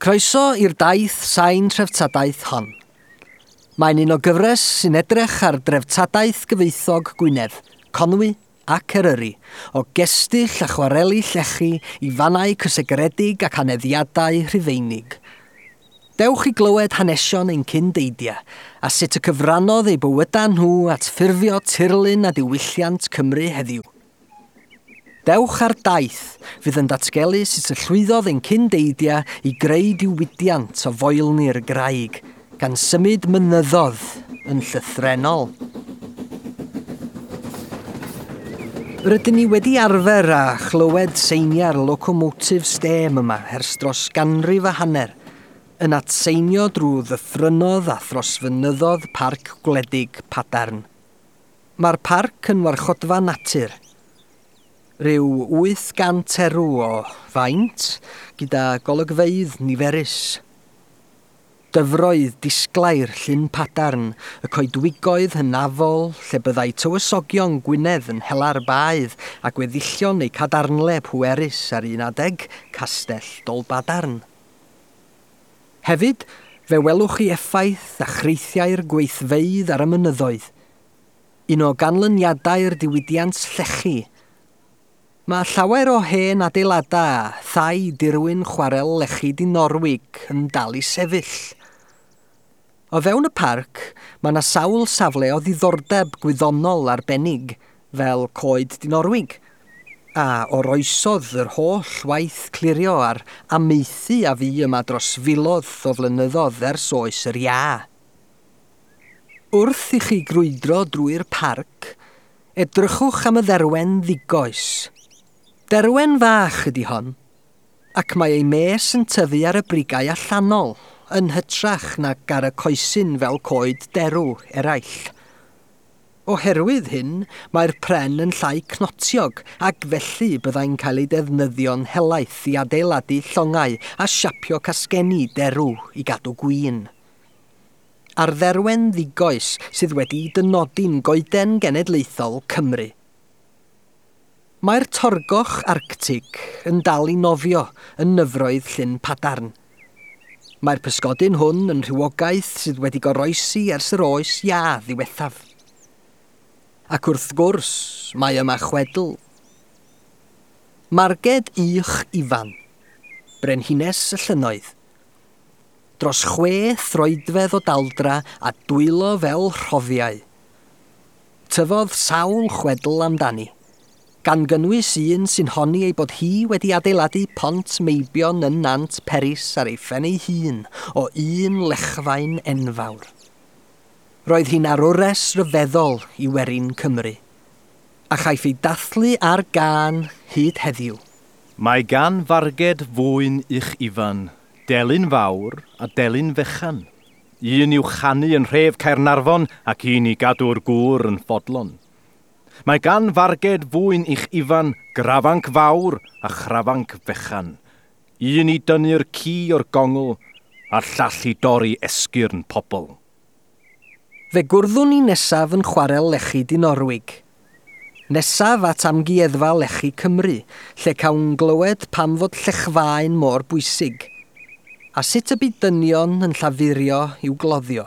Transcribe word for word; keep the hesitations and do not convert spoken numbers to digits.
Croeso i'r daith sain treftadaeth hon. Mae'n un o gyfres sy'n edrych ar dreftadaeth gyfoethog Gwynedd, Conwy ac Eryri, o gestyll a chwareli llechi i fannau cysegredig ac aneddiadau Rhufeinig. Dewch i glywed hanesion ein cyndeidiau a sut y cyfrannodd eu bywydau nhw at ffurfio tirlun a diwylliant Cymru heddiw. Dewch ar daith fydd yn datgelu sut y llwyddodd ein cyndeidiau i greu diwydiant o foelni'r graig, gan symud mynyddodd yn llythrennol. Rydyn ni wedi arfer â chlywed seiniau'r locomotif stêm yma ers dros ganrif a hanner, yn atseinio drwy ddyffrynnodd a throsfynyddodd Parc Gwledig Padarn. Mae'r parc yn warchodfa natur, rhyw wyth gant erw o faint gyda golygfeydd niferus. Dyfroedd disglair Llyn Padarn, y coedwigoedd hynafol lle byddai tywysogion Gwynedd yn hela'r baedd a gweddillion eu cadarnle pwerus ar un adeg, Castell Dolbadarn. Hefyd, fe welwch chi effaith a chreithiau'r gweithfeydd ar y mynyddoedd. Un o ganlyniadau'r diwydiant llechi. Mae llawer o hen adeiladau a thai dirwyn chwarel lechi Dinorwig yn dal i sefyll. O fewn y parc, mae yna sawl safle o ddiddordeb gwyddonol arbennig, fel coed Dinorwig, a oroesodd yr holl waith clirio a'r amaethu a fu yma dros filoedd o flynyddoedd ers oes yr iâ. Wrth i chi grwydro drwy'r parc, edrychwch am y dderwen ddigoes. Derwen fach ydy hon, ac mae ei mes yn tyfu ar y brigau allanol, yn hytrach nag ar y coesyn fel coed derw eraill. Oherwydd hyn, mae'r pren yn llai cnotiog ac felly byddai'n cael ei defnyddio'n helaeth i adeiladu llongau a siapio casgenni derw i gadw gwin. A'r dderwen ddigoes sydd wedi dynodi'n goeden genedlaethol Cymru. Mae'r torgoch Arctig yn dal i nofio yn nyfroedd Llyn Padarn. Mae'r pysgodyn hwn yn rhywogaeth sydd wedi goroesi ers yr oes iâ ddiwethaf. Ac wrth gwrs, mae yma chwedl. Marged Ych Ifan, brenhines y llynnoedd. Dros chwe throedfedd o daldra a dwylo fel rhoddiau. Tyfodd sawl chwedl amdani, gan gynnwys un sy'n honni ei bod hi wedi adeiladu pont meibion yn Nant Peris ar ei phen ei hun o un lechfaen enfawr. Roedd hi'n arwres ryfeddol i werin Cymru, a chaiff ei dathlu ar gân hyd heddiw. Mae gan Farged fwyn Ych Ifan, delyn fawr a delyn fechan. Un i'w chanu yn rhef Caernarfon ac un i gadw'r gŵr yn fodlon. Mae gan Farged fwyn Ych Ifan grafanc fawr a chrafanc fechan. Un i dynnu'r ci o'r gongl a'r llall i dorri esgyrn pobl. Fe gwrddwn ni nesaf yn chwarel lechi Dinorwig. Nesaf at amgueddfa lechi Cymru, lle cawn glywed pam fod llechfaen mor bwysig, a sut y bu dynion yn llafurio i'w gloddio.